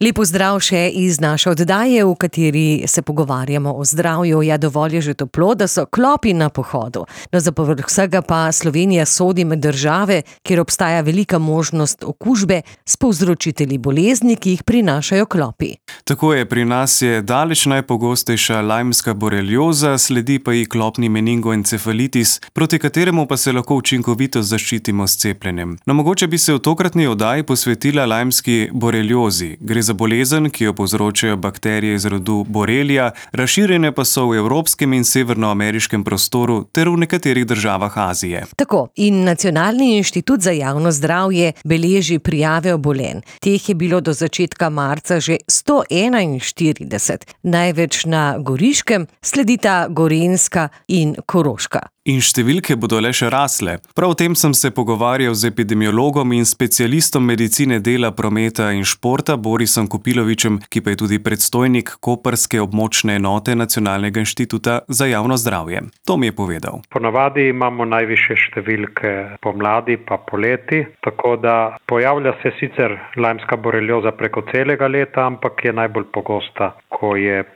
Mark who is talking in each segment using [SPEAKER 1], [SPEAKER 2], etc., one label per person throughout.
[SPEAKER 1] Lepo zdrav še iz naše oddaje, v kateri se pogovarjamo o zdravju. Ja, dovolj je že toplo, da so klopi na pohodu. No, za povrh vsega pa Slovenija sodi med države, kjer obstaja velika možnost okužbe s povzročitelji bolezni, ki jih prinašajo klopi.
[SPEAKER 2] Tako je, pri nas je daleč najpogostejša lajmska borelioza, sledi pa ji klopni meningoencefalitis, proti kateremu pa se lahko učinkovito zaščitimo s cepljenjem. No, mogoče bi se v tokratni oddaji posvetila lajmski boreliozi. Gre za bolezen, ki jo povzročajo bakterije iz rodu Borrelia, razširjene pa so v evropskem in severnoameriškem prostoru ter v nekaterih državah Azije.
[SPEAKER 1] Tako, in Nacionalni inštitut za javno zdravje beleži prijave obolenj. Teh je bilo do začetka marca že 141, največ na Goriškem, sledita Gorenjska in Koroška.
[SPEAKER 2] In številke bodo le še rasle. Prav o tem sem se pogovarjal z epidemiologom in specialistom medicine dela, prometa in športa Borisom Kopilovičem, ki pa je tudi predstojnik koprske območne enote Nacionalnega inštituta za javno zdravje. To mi je povedal.
[SPEAKER 3] Ponavadi imamo najvišje številke pomladi pa poleti, tako da pojavlja se sicer lajmska borelioza preko celega leta, ampak je najbolj pogosta, ko je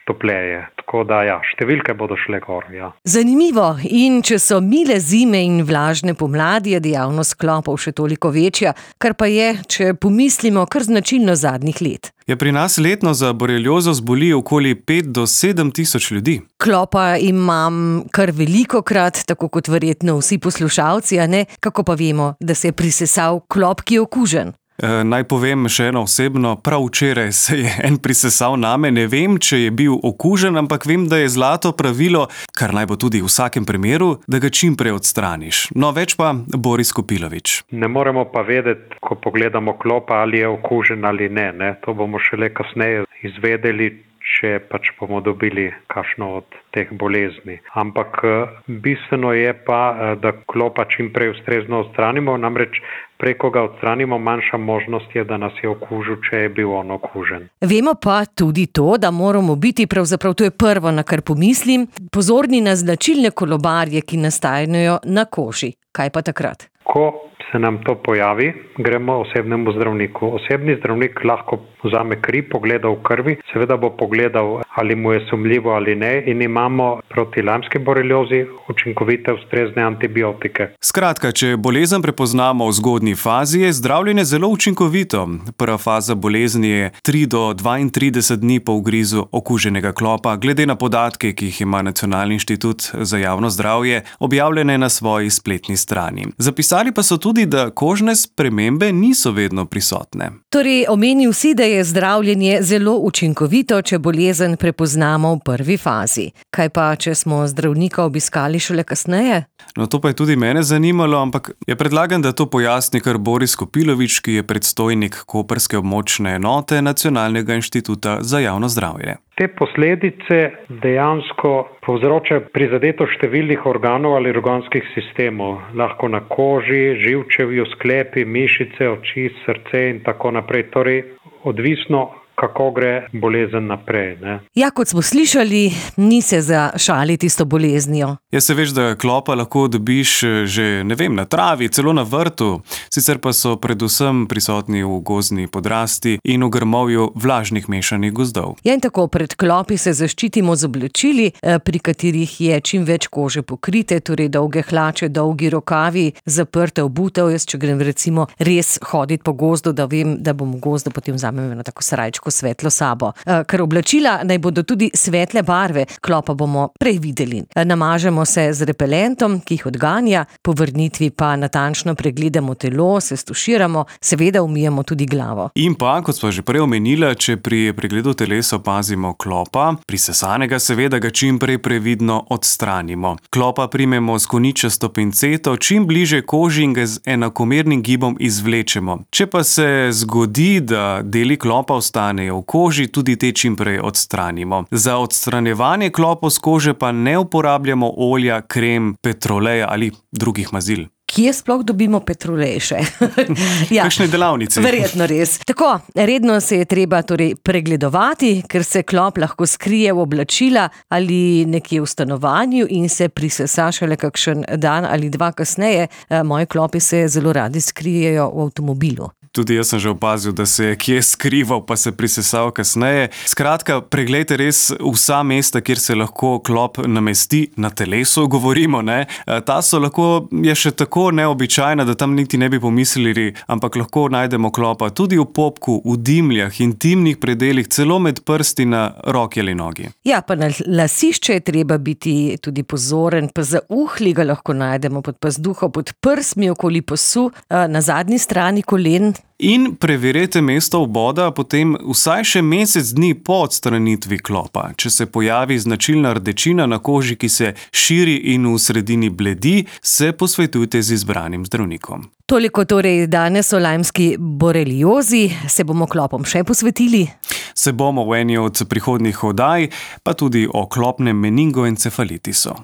[SPEAKER 3] topleje. Tako da številke bodo šle gor.
[SPEAKER 1] Zanimivo. In če so mile zime in vlažne pomladi, je dejavnost klopov še toliko večja, kar pa je, če pomislimo, kar značilno zadnjih let.
[SPEAKER 2] Pri nas letno za boreliozo zboli okoli 5 do 7 tisoč ljudi.
[SPEAKER 1] Klopa imam kar velikokrat, tako kot verjetno vsi poslušalci, a ne? Kako pa vemo, da se je prisesal klop, ki je okužen?
[SPEAKER 2] Naj povem še eno osebno, prav včeraj se je en prisesal name, ne vem, če je bil okužen, ampak vem, da je zlato pravilo, kar naj bo tudi v vsakem primeru, da ga čim prej odstraniš. No, več pa Boris Kopilovič.
[SPEAKER 3] Ne moremo pa vedeti, ko pogledamo klopa, ali je okužen ali ne. To bomo šele kasneje izvedeli, če bomo dobili kakšno od teh bolezni. Ampak bistveno je pa, da klopa čim prej ustrezno odstranimo, namreč preko ga odstranimo, manjša možnost je, da nas je okužil, če je bil on okužen.
[SPEAKER 1] Vemo pa tudi to, da moramo biti, pravzaprav to je prvo, na kar pomislim, pozorni na značilne kolobarje, ki nastajajo na koži. Kaj pa takrat?
[SPEAKER 3] Ko se nam to pojavi, gremo osebnemu zdravniku. Osebni zdravnik lahko vzame kri, pogleda v krvi, seveda bo pogledal, ali mu je sumljivo ali ne, in imamo proti lajmski boreliozi učinkovite ustrezne antibiotike.
[SPEAKER 2] Skratka, če bolezen prepoznamo v zgodnji fazi, je zdravljenje zelo učinkovito. Prva faza bolezni je 3 do 32 dni po ugrizu okuženega klopa, glede na podatke, ki jih ima Nacionalni inštitut za javno zdravje, objavljene na svoji spletni strani. Zapisali pa so tudi, da kožne spremembe niso vedno prisotne.
[SPEAKER 1] Torej, omenil si, da je zdravljenje zelo učinkovito, če bolezen prepoznamo v prvi fazi. Kaj pa, če smo zdravnika obiskali šele kasneje?
[SPEAKER 2] No, to pa je tudi mene zanimalo, ampak predlagam, da to pojasni kar Boris Kopilovič, ki je predstojnik koprske območne enote Nacionalnega inštituta za javno zdravje.
[SPEAKER 3] Te posledice dejansko povzročajo prizadetost številnih organov ali organskih sistemov. Lahko na koži, živčevju, sklepi, mišice, oči, srce in tako naprej. Torej, odvisno, kako gre bolezen naprej.
[SPEAKER 1] Ja, kot smo slišali, ni se za šaliti s to boleznijo.
[SPEAKER 2] Se veš, da klopa lahko dobiš že, na travi, celo na vrtu. Sicer pa so predvsem prisotni v gozdni podrasti in v grmovju vlažnih mešanih gozdov.
[SPEAKER 1] In tako pred klopi se zaščitimo z oblačili, pri katerih je čim več kože pokrite, torej dolge hlače, dolgi rokavi, zaprte obutev. Jaz, če grem recimo res hoditi po gozdu, da vem, da bom v gozdu, potem vzamem eno tako srajčko svetlo sabo. Ker oblačila naj bodo tudi svetle barve, klopa bomo prej videli. Namažemo se z repelentom, ki jih odganja, po vrnitvi pa natančno pregledamo telo, se stuširamo, seveda umijemo tudi glavo. In
[SPEAKER 2] pa, kot sva že prej omenila, če pri pregledu telesa opazimo klopa, prisesanega, seveda ga čim prej previdno odstranimo. Klopa primemo s koničasto pinceto, čim bliže koži in ga z enakomernim gibom izvlečemo. Če pa se zgodi, da deli klopa ostanejo v koži, tudi te čim prej odstranimo. Za odstranjevanje klopov z kože pa ne uporabljamo olja, krem, petroleja ali drugih mazil.
[SPEAKER 1] Kje sploh dobimo petrolej še?
[SPEAKER 2] Kakšne delavnice?
[SPEAKER 1] Verjetno res. Tako, redno se je treba pregledovati, ker se klop lahko skrije v oblačila ali nekje v stanovanju in se prisesa šele kakšen dan ali dva kasneje. Moji klopi se zelo radi skrijejo v avtomobilu.
[SPEAKER 2] Tudi jaz sem že opazil, da se je kje skrival, pa se prisesal kasneje. Skratka, preglejte res vsa mesta, kjer se lahko klop namesti na telesu, govorimo, ne. Ta so lahko, je še tako neobičajna, da tam niti ne bi pomislili, ampak lahko najdemo klopa tudi v popku, v dimljah, intimnih predelih, celo med prsti na roki ali nogi.
[SPEAKER 1] Ja, pa na lasišče je treba biti tudi pozoren, pa za uhli ga lahko najdemo pod pazduho, pod prsmi okoli pasu, na zadnji strani kolen.
[SPEAKER 2] In preverite mesto vboda potem vsaj še mesec dni po odstranitvi klopa. Če se pojavi značilna rdečina na koži, ki se širi in v sredini bledi, se posvetujte z izbranim zdravnikom.
[SPEAKER 1] Toliko torej danes o lajmski boreliozi. Se bomo klopom še posvetili?
[SPEAKER 2] Se bomo v eni od prihodnjih oddaj, pa tudi o klopnem meningoencefalitisu.